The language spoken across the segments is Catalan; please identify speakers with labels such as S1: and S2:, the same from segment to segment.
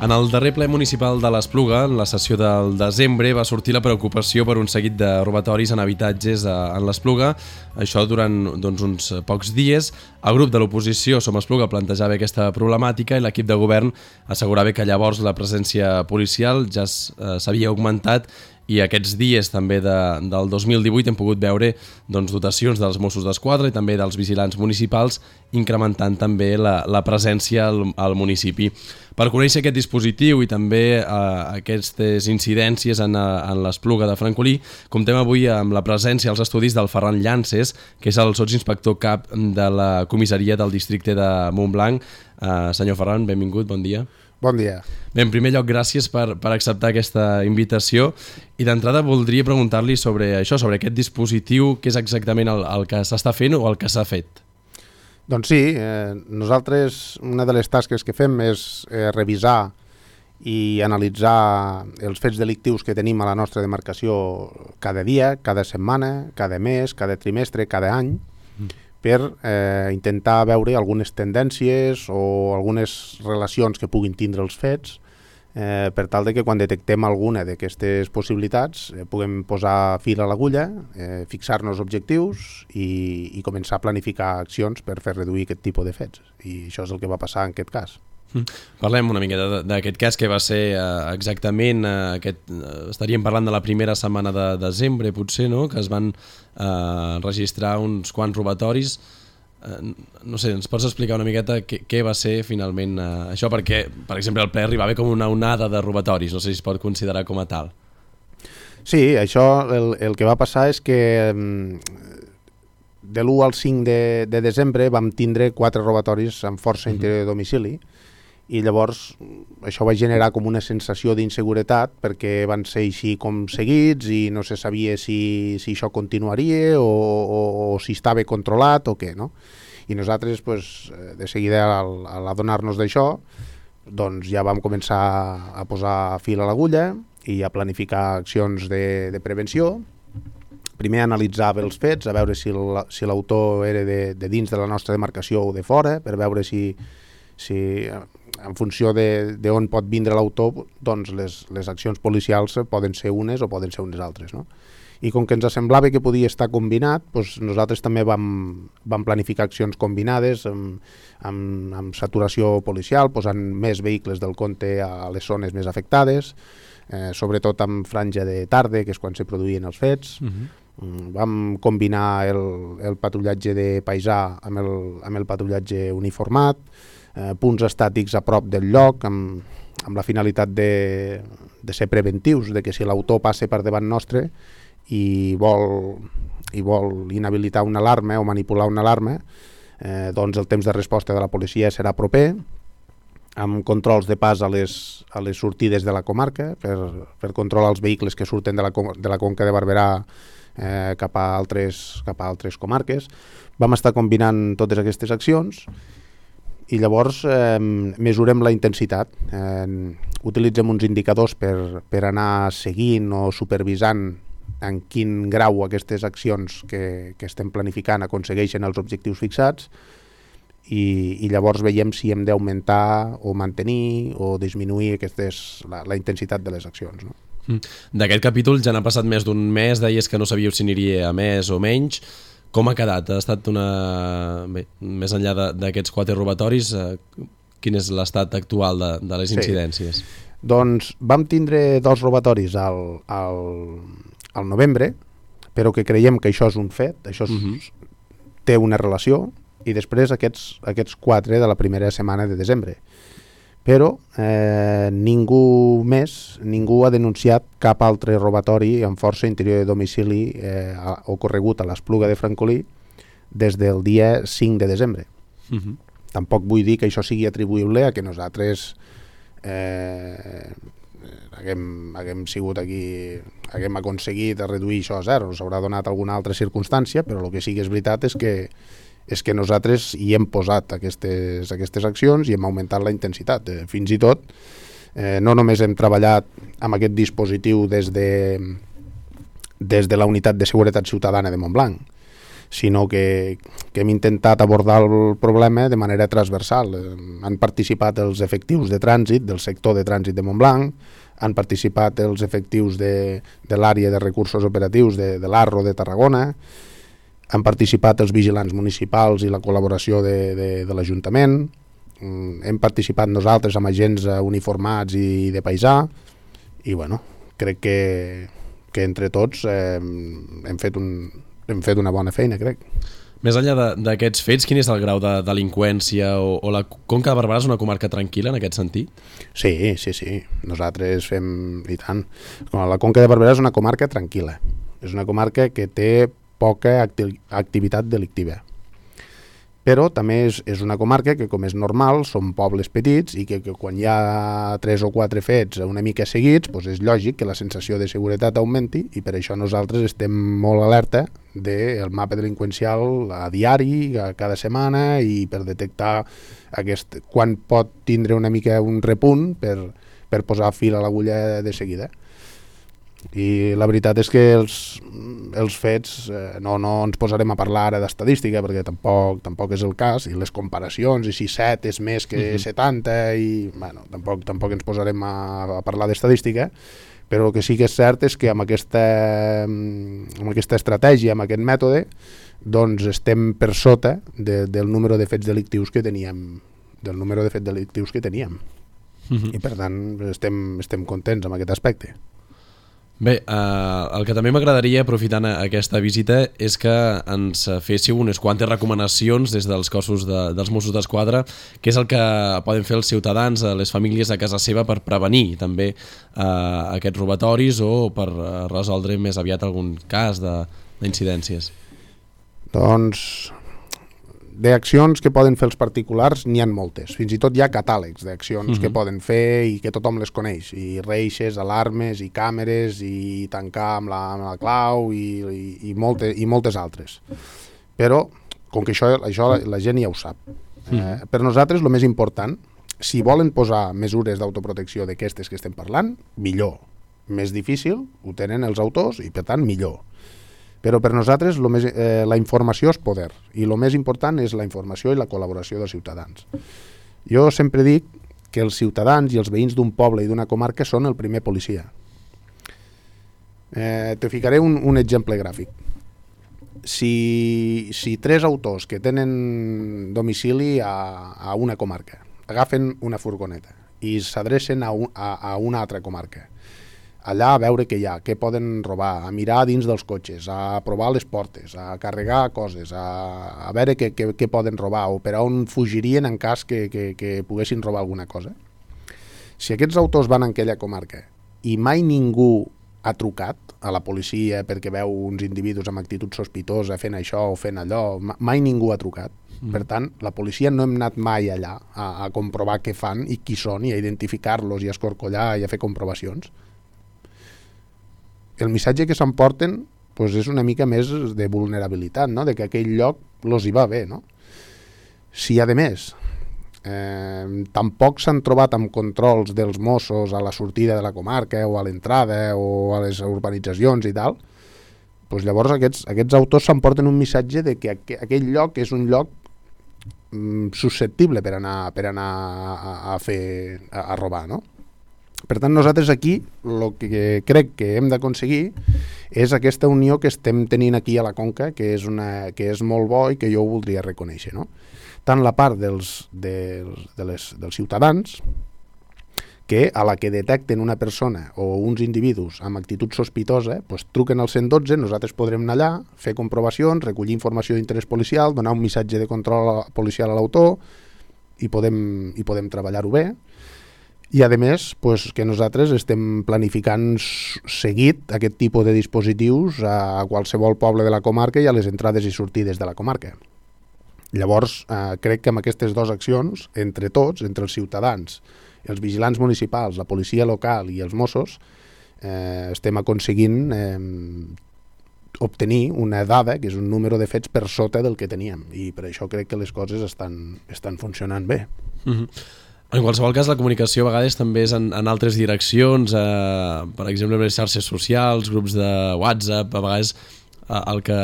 S1: En el darrer ple municipal de l'Espluga, en la sessió del desembre, va sortir la preocupació per un seguit de robatoris en habitatges en l'Espluga. Això durant uns pocs dies. El grup de l'oposició Som Espluga plantejava aquesta problemàtica i l'equip de govern assegurava que llavors la presència policial ja s'havia augmentat i aquests dies també del 2018 hem pogut veure dotacions dels Mossos d'Esquadra i també dels vigilants municipals incrementant també la presència al municipi. Per conèixer aquest dispositiu i també aquestes incidències en l'Espluga de Francolí, comptem avui amb la presència als estudis del Ferran Llances, que és el sotsinspector cap de la comissaria del districte de Montblanc. Senyor Ferran, benvingut, bon dia.
S2: Bon dia.
S1: Bé, en primer lloc, gràcies per acceptar aquesta invitació i d'entrada voldria preguntar-li sobre això, sobre aquest dispositiu, què és exactament el que s'està fent o el que s'ha fet.
S2: Doncs sí, nosaltres una de les tasques que fem és revisar i analitzar els fets delictius que tenim a la nostra demarcació cada dia, cada setmana, cada mes, cada trimestre, cada any, per intentar veure algunes tendències o algunes relacions que puguin tindre els fets, per tal de que quan detectem alguna d'aquestes possibilitats puguem posar fil a l'agulla, fixar-nos objectius i començar a planificar accions per fer reduir aquest tipus de fets. I això és el que va passar en aquest cas.
S1: Parlem una miqueta d'aquest cas que va ser exactament, estaríem parlant de la primera setmana de desembre potser, no? Que es van registrar uns quants robatoris. No sé, ens pots explicar una miqueta què va ser finalment això? Perquè, per exemple, el ple arribava com una onada de robatoris, no sé si es pot considerar com a tal.
S2: Sí, això el que va passar és que de l'1 al 5 de desembre vam tindre 4 robatoris amb força interior de domicili i llavors això va generar com una sensació d'inseguretat perquè van ser així com seguits i no se sabia si això continuaria o si estava controlat o què, no? I nosaltres de seguida al adonar-nos d'això doncs ja vam començar a posar fil a l'agulla i a planificar accions de prevenció. Primer analitzava els fets, a veure si l'autor era de dins de la nostra demarcació o de fora, per veure si en funció d'on pot vindre l'autor, doncs les accions policials poden ser unes o poden ser unes altres, no? I com que ens semblava que podia estar combinat, doncs nosaltres també vam planificar accions combinades amb saturació policial, posant més vehicles del compte a les zones més afectades, sobretot amb franja de tarda, que és quan se produïen els fets. Vam combinar el patrullatge de paisà amb el patrullatge uniformat, punts estàtics a prop del lloc amb la finalitat de ser preventius, de que si l'autor passa per davant nostre i vol inhabilitar una alarma o manipular una alarma, doncs el temps de resposta de la policia serà proper, amb controls de pas a les sortides de la comarca per controlar els vehicles que surten de la Conca de Barberà cap a altres comarques. Vam estar combinant totes aquestes accions i llavors mesurem la intensitat. Utilitzem uns indicadors per anar seguint o supervisant en quin grau aquestes accions que estem planificant aconsegueixen els objectius fixats i llavors veiem si hem d'augmentar o mantenir o disminuir la intensitat de les accions, no?
S1: D'aquest capítol ja n'ha passat més d'un mes, deies que no sabíeu si aniria a més o menys. Com ha quedat? Ha estat més enllà d'aquests 4 robatoris, quin és l'estat actual de les incidències?
S2: Sí. Doncs vam tindre 2 robatoris al novembre, però que creiem que això és un fet, això té una relació, i després aquests 4 de la primera setmana de desembre. Però ningú ha denunciat cap altre robatori amb força interior de domicili ocorregut a l'Espluga de Francolí des del dia 5 de desembre. Tampoc vull dir que això sigui atribuïble a que nosaltres haguem sigut aquí, haguem aconseguit reduir això a 0. S'haurà donat alguna altra circumstància, però el que sí que és veritat és que nosaltres hi hem posat aquestes accions i hem augmentat la intensitat. Fins i tot, no només hem treballat amb aquest dispositiu des de la Unitat de Seguretat Ciutadana de Montblanc, sinó que hem intentat abordar el problema de manera transversal. Han participat els efectius de trànsit del sector de trànsit de Montblanc, han participat els efectius de l'àrea de recursos operatius de l'Arro de Tarragona, han participat els vigilants municipals i la col·laboració de l'Ajuntament, hem participat nosaltres amb agents uniformats i de paisà, i bueno, crec que entre tots hem fet una bona feina, crec.
S1: Més enllà d'aquests fets, quin és el grau de delinqüència o la Conca de Barberà és una comarca tranquil·la en aquest sentit?
S2: Sí. Nosaltres fem, i tant. La Conca de Barberà és una comarca tranquil·la. És una comarca que té poca activitat delictiva. Però també és una comarca que, com és normal, són pobles petits i que quan hi ha 3 o 4 fets una mica seguits, doncs és lògic que la sensació de seguretat augmenti, i per això nosaltres estem molt alerta del mapa delinqüencial a diari, cada setmana, i per detectar quan pot tindre una mica un repunt per posar fil a l'agulla de seguida. I la veritat és que els fets no ens posarem a parlar ara d'estadística, perquè tampoc és el cas, i les comparacions, i si 7 és més que 70, i bueno, tampoc ens posarem a parlar d'estadística, però el que sí que és cert és que amb aquesta estratègia, amb aquest mètode, doncs estem per sota del número de fets delictius que teníem, i per tant estem contents amb aquest aspecte.
S1: Bé, el que també m'agradaria, aprofitant aquesta visita, és que ens féssiu unes quantes recomanacions des dels cossos dels Mossos d'Esquadra, que és el que poden fer els ciutadans, les famílies a casa seva, per prevenir també aquests robatoris o per resoldre més aviat algun cas d'incidències.
S2: Doncs d'accions que poden fer els particulars n'hi ha moltes, fins i tot hi ha catàlegs d'accions que poden fer i que tothom les coneix, i reixes, alarmes, i càmeres, i tancar amb la clau, i moltes altres. Però, com que això la gent ja ho sap, per nosaltres el més important, si volen posar mesures d'autoprotecció d'aquestes que estem parlant, millor. Més difícil ho tenen els autors i per tant millor. Però per nosaltres la informació és poder, i el més important és la informació i la col·laboració dels ciutadans. Jo sempre dic que els ciutadans i els veïns d'un poble i d'una comarca són el primer policia. Te ficaré un exemple gràfic. Si 3 autors que tenen domicili a una comarca agafen una furgoneta i s'adrecen a una altra comarca, allà a veure què hi ha, què poden robar, a mirar dins dels cotxes, a provar les portes, a carregar coses, a veure què poden robar o per on fugirien en cas que poguessin robar alguna cosa. Si aquests autors van a aquella comarca i mai ningú ha trucat a la policia perquè veu uns individus amb actitud sospitosa fent això o fent allò, mai ningú ha trucat. Per tant, la policia no hem anat mai allà a comprovar què fan i qui són, i a identificar-los i a escorcollar i a fer comprovacions. El missatge que s'emporten és una mica més de vulnerabilitat, no? De que aquell lloc els hi va bé. No? Si, a més, tampoc s'han trobat amb controls dels Mossos a la sortida de la comarca o a l'entrada o a les urbanitzacions i tal, doncs llavors aquests autors s'emporten un missatge de que aquell lloc és un lloc susceptible per anar a robar, no? Per tant, nosaltres aquí el que crec que hem d'aconseguir és aquesta unió que estem tenint aquí a la Conca, que és molt bo i que jo ho voldria reconèixer, no? Tant la part dels ciutadans, que a la que detecten una persona o uns individus amb actitud sospitosa, truquen al 112, nosaltres podrem anar allà, fer comprovacions, recollir informació d'interès policial, donar un missatge de control policial a l'autor i podem treballar-ho bé. I, a més, que nosaltres estem planificant seguit aquest tipus de dispositius a qualsevol poble de la comarca i a les entrades i sortides de la comarca. Llavors, crec que amb aquestes 2 accions, entre tots, entre els ciutadans, els vigilants municipals, la policia local i els Mossos, estem aconseguint obtenir una dada, que és un número de fets per sota del que teníem. I per això crec que les coses estan funcionant bé.
S1: En qualsevol cas, la comunicació a vegades també és en altres direccions, per exemple, les xarxes socials, grups de WhatsApp, a vegades el que,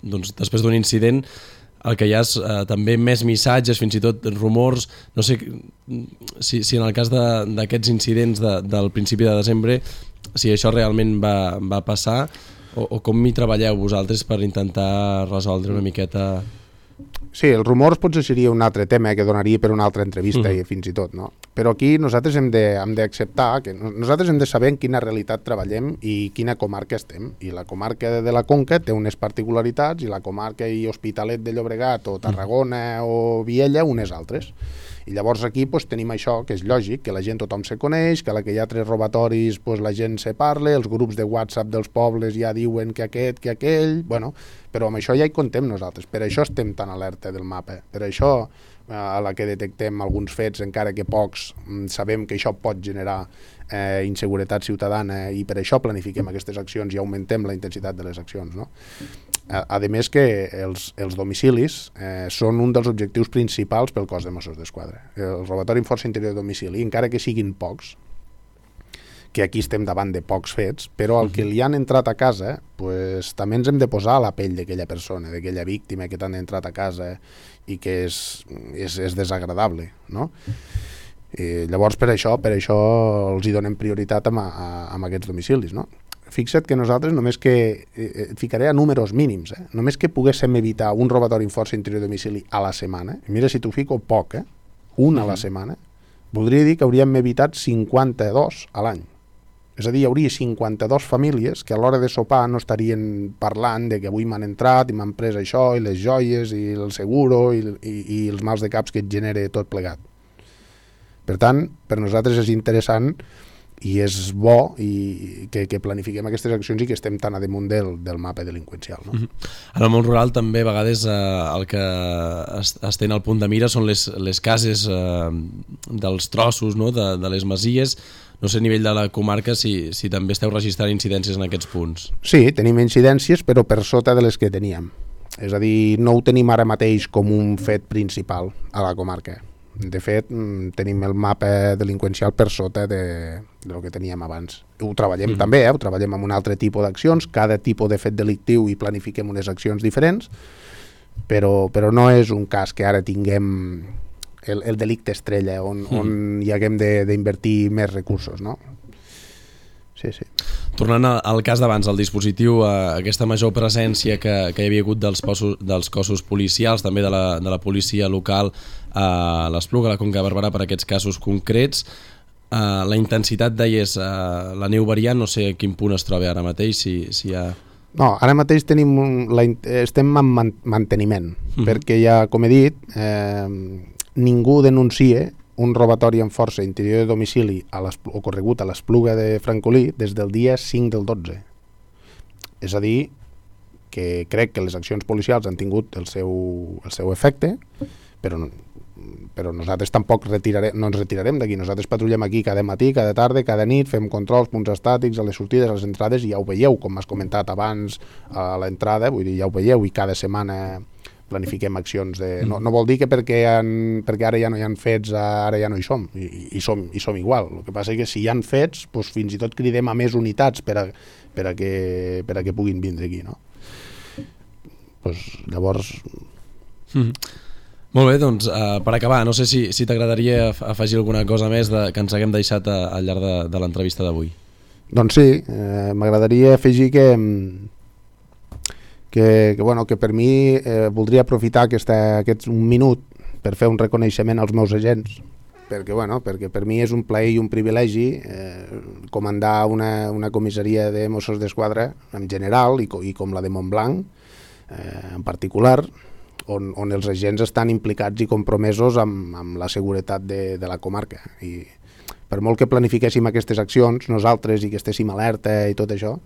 S1: doncs, després d'un incident, el que hi ha és també més missatges, fins i tot rumors. No sé si en el cas d'aquests incidents del principi de desembre, si això realment va passar, o com hi treballeu vosaltres per intentar resoldre una miqueta...
S2: Sí, els rumors potser seria un altre tema que donaria per una altra entrevista i fins i tot, no? Però aquí nosaltres hem d'acceptar que nosaltres hem de saber en quina realitat treballem i quina comarca estem. I la comarca de la Conca té unes particularitats i la comarca i Hospitalet de Llobregat o Tarragona o Viella unes altres. I llavors aquí doncs, tenim això, que és lògic, que la gent tothom se coneix, que a la que hi ha 3 robatoris doncs, la gent se parla, els grups de WhatsApp dels pobles ja diuen que aquest, que aquell... Bueno, però amb això ja hi contem nosaltres, per això estem tan alerta del mapa, per això a la que detectem alguns fets, encara que pocs, sabem que això pot generar inseguretat ciutadana i per això planifiquem aquestes accions i augmentem la intensitat de les accions, no? A més que els domicilis són un dels objectius principals pel cos de Mossos d'Esquadra. El robatori en força interior de domicili, encara que siguin pocs, que aquí estem davant de pocs fets, però el que li han entrat a casa, pues, també ens hem de posar a la pell d'aquella persona, d'aquella víctima que t'han entrat a casa i que és desagradable, no? I llavors per això els hi donem prioritat amb aquests domicilis, no? Fixa't que nosaltres només que et ficaré a números mínims, només que poguéssim evitar un robatori en força interior de domicili a la setmana, mira si t'ho fico poc, un a la setmana, voldria dir que hauríem evitat 52 a l'any. És a dir, hi hauria 52 famílies que a l'hora de sopar no estarien parlant de que avui m'han entrat i m'han pres això i les joies i el seguro i els mals de caps que et genera tot plegat. Per tant, per nosaltres és interessant i és bo que planifiquem aquestes accions i que estem tan a damunt del mapa delinqüencial, no?
S1: En el món rural també a vegades el que es té al punt de mira són les cases dels trossos, no? de les masies. No sé a nivell de la comarca si també esteu registrant incidències en aquests punts.
S2: Sí, tenim incidències però per sota de les que teníem. És a dir, no ho tenim ara mateix com un fet principal a la comarca. De fet, tenim el mapa delinqüencial per sota del que teníem abans. Ho treballem també, ho treballem amb un altre tipus d'accions, cada tipus de fet delictiu i planifiquem unes accions diferents, però no és un cas que ara tinguem el delicte estrella on hi haguem d'invertir més recursos, no? Sí.
S1: Tornant al cas d'abans, el dispositiu, aquesta major presència que hi havia hagut dels cossos policials, també de la policia local a l'Espluga, a la Conca de Barberà, per aquests casos concrets, la intensitat deies, la neu variant, no sé a quin punt es troba ara mateix, si hi ha...
S2: No, ara mateix estem en manteniment, perquè ja, com he dit, ningú denuncia un robatori amb força interior de domicili ocorregut a l'Espluga de Francolí des del dia 5 del 12. És a dir, que crec que les accions policials han tingut el seu efecte, però nosaltres tampoc no ens retirarem d'aquí. Nosaltres patrullem aquí cada matí, cada tarda, cada nit, fem controls, punts estàtics, a les sortides, a les entrades, i ja ho veieu, com m'has comentat abans a l'entrada, vull dir, ja ho veieu, i cada setmana planifiquem accions no vol dir que perquè ara ja no hi ha fets ara ja no hi som, i som igual. El que passa és que si hi ha fets, doncs fins i tot cridem a més unitats per a que puguin vindre aquí, no? Doncs llavors...
S1: Molt bé, doncs per acabar, no sé si t'agradaria afegir alguna cosa més que ens haguem deixat al llarg de l'entrevista d'avui.
S2: Doncs sí, m'agradaria afegir que per mi voldria aprofitar aquest un minut per fer un reconeixement als meus agents, perquè per mi és un plaer i un privilegi comandar una comissaria de Mossos d'Esquadra en general i com la de Montblanc en particular, on els agents estan implicats i compromesos amb la seguretat de la comarca. I per molt que planifiquéssim aquestes accions nosaltres i que estéssim alerta i tot això,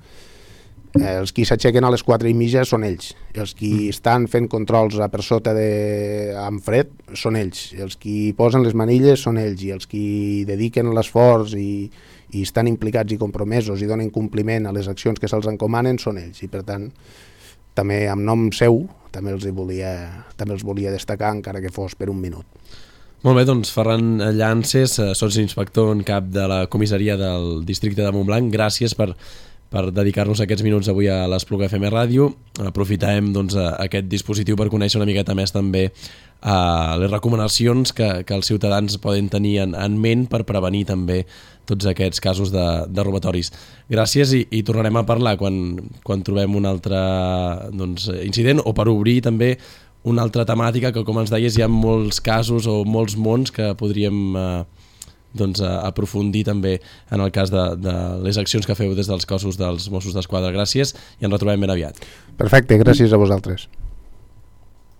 S2: els qui s'aixequen a les 4:30 són ells, els qui estan fent controls per sota amb fred són ells, els qui posen les manilles són ells, i els qui dediquen l'esforç i estan implicats i compromesos i donen compliment a les accions que se'ls encomanen són ells, i per tant també en nom seu també els volia destacar, encara que fos per un minut.
S1: Molt bé, doncs Ferran Llances, sotsinspector en cap de la comissaria del districte de Montblanc, gràcies per per dedicar-nos aquests minuts avui a l'Espluga FM Ràdio. Aprofitarem doncs, aquest dispositiu per conèixer una miqueta més també les recomanacions que els ciutadans poden tenir en ment per prevenir també tots aquests casos de robatoris. Gràcies i tornarem a parlar quan trobem un altre incident o per obrir també una altra temàtica que, com ens deies, hi ha molts casos o molts mons que podríem aprofundir també en el cas de les accions que feu des dels cossos dels Mossos d'Esquadra. Gràcies i ens retrobem ben aviat.
S2: Perfecte, gràcies a vosaltres.